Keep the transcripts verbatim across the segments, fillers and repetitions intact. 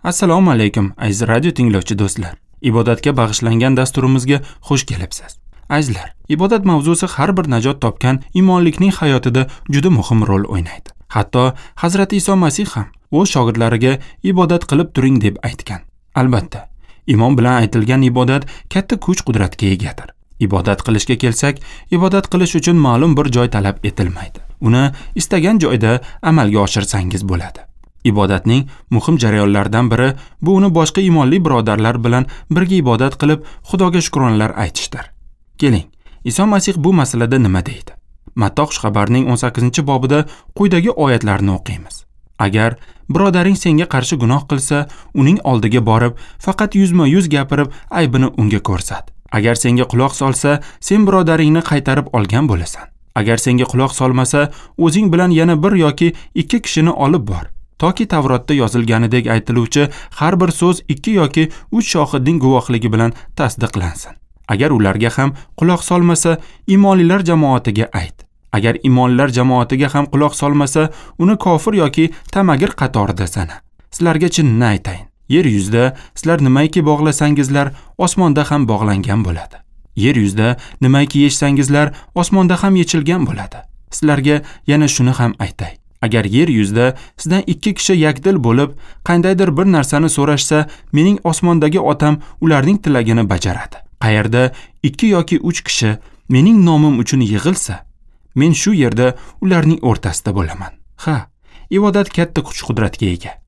Assalomu alaykum aziz radio tinglovchi do'stlar. Ibodatga bag'ishlangan dasturimizga xush kelibsiz. Azizlar, ibodat mavzusi har bir najot topgan iymonlikning hayotida juda muhim rol o'ynaydi. Hatto Hazrati Iso Masih ham o'z shogirdlariga ibodat qilib turing deb aytgan. Albatta, iymon bilan aytilgan ibodat katta kuch-qudratga egadir. Ibodat qilishga kelsak, ibodat qilish uchun ma'lum bir joy talab etilmaydi. Uni istagan joyda amalga oshirsangiz bo'ladi. Ibodatning muhim jarayonlaridan biri bu uni boshqa iymonli birodarlar bilan birga ibodat qilib, Xudoga shukronalar aytishdir. Keling, Iso Masih bu masalada nima deydi? Matta xushxabarning o'n sakkizinchi bobida quyidagi oyatlarni o'qiymiz. Agar birodaring senga qarshi gunoh qilsa, uning oldiga borib, faqat yuzma-yuz gapirib, aybini unga ko'rsat. Agar senga quloq solsa, sen birodaringni qaytarib olgan bo'lasan. Agar senga quloq solmasa, o'zing bilan yana bir yoki ikki kishini olib bor. Toki Tavrotda yozilganidek aytiluvchi har bir so'z ikki yoki uch shohidning guvohligi bilan tasdiqlansin. Agar ularga ham quloq solmasa, iymonlilar jamoatiga ayt. Agar iymonlilar jamoatiga ham quloq solmasa, uni kofir yoki tamagir qatorida sana. Sizlarga chinni aytayin. Yer yuzida sizlar nimaiki bog'lasangizlar, osmonda ham bog'langan bo'ladi. Yer yuzida nimaiki yechsangizlar, osmonda ham yechilgan bo'ladi. Sizlarga yana shuni ham aytay. Agar yer yuzida sizdan ikki kishi yakdil bo'lib, qandaydir bir narsani so'rashsa, mening osmondagi otam ularning tilagini bajaradi. Qayerda ikki yoki uch kishi mening nomim uchun yig'ilsa, men shu yerda ularning o'rtasida bo'laman. Ha, ibodat katta kuch-qudratga ega.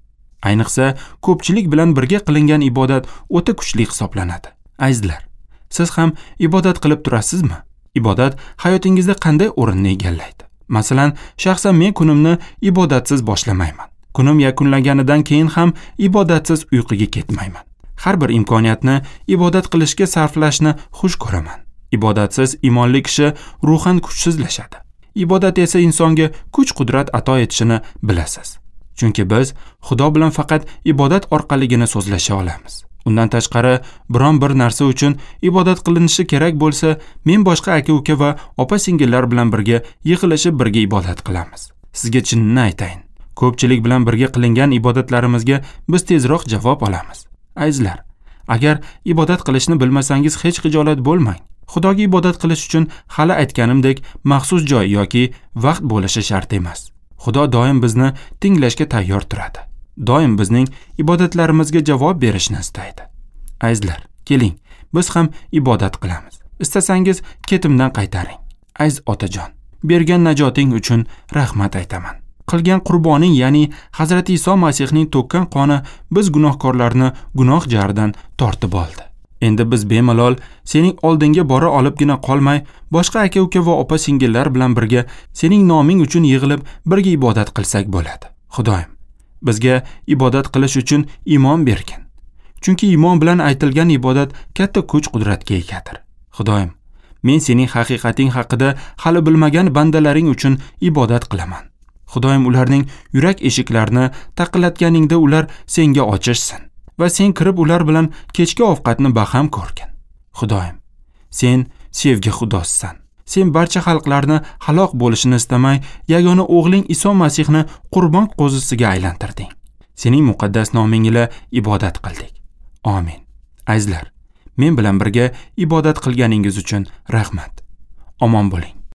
Ayniqsa, ko'pchilik bilan birga qilingan ibodat o'ta kuchli hisoblanadi. Azizlar, siz ham ibodat qilib turasizmi? Ibodat hayotingizda qanday o'rinni egallaydi? Masalan, shaxsan men kunimni ibodatsiz boshlamayman. Kunim yakunlanganidan keyin ham ibodatsiz uyquga ketmayman. Har bir imkoniyatni ibodat qilishga sarflashni xush ko'raman. Ibodatsiz iymonli kishi ruhan kuchsizlashadi. Ibodat esa insonga kuch-qudrat ato etishini bilasiz. Chunki biz Xudo bilan faqat ibodat orqaligina so'zlasha olamiz. Undan tashqari, biron bir narsa uchun ibodat qilinishi kerak bo'lsa, men boshqa aka-uka va opa-singillar bilan birga yig'ilishib birga ibodat qilamiz. Sizga chinni aytayin, ko'pchilik bilan birga qilingan ibodatlarimizga biz tezroq javob olamiz. Azizlar, agar ibodat qilishni bilmasangiz hech xijolat bo'lmang. Xudoga ibodat qilish uchun hali aytganimdek maxsus joy yoki vaqt bo'lishi shart emas. Xudo doim bizni tinglashga tayyor turadi. Doim bizning ibodatlarimizga javob berishni istaydi. Azizlar, keling, biz ham ibodat qilamiz. Istasangiz ketimdan qaytaring. Aziz otajon, bergan najoting uchun rahmat aytaman. Qilgan qurboning, ya'ni Hazrati Iso Masihning to'kkan qoni biz gunohkorlarni gunoh jaridan tortib oldi. Endi biz bemalol sening oldinga bora olibgina qolmay, boshqa aka-uka va opa-singillar bilan birga sening noming uchun yig'ilib birga ibodat qilsak bo'ladi. Xudoyim, bizga ibodat qilish uchun iymon bergin. Chunki iymon bilan aytilgan ibodat katta kuch-qudratga egadir. Xudoyim, men sening haqiqating haqida hali bilmagan bandalaring uchun ibodat qilaman. Xudoyim, ularning yurak eshiklarini taqillatganingda ular senga ochishsin va sen kirib ular bilan kechki ovqatni baham ko'rgin. Xudoyim, sen sevgi Xudosisan. Sen barcha xalqlarni halok bo'lishini istamay, yagona o'g'ling Iso Masihni qurbon qo'zisiga aylantirding. Sening muqaddas noming ila ibodat qildik. Amin. Azizlar, men bilan birga ibodat qilganingiz uchun rahmat. Omon bo'ling.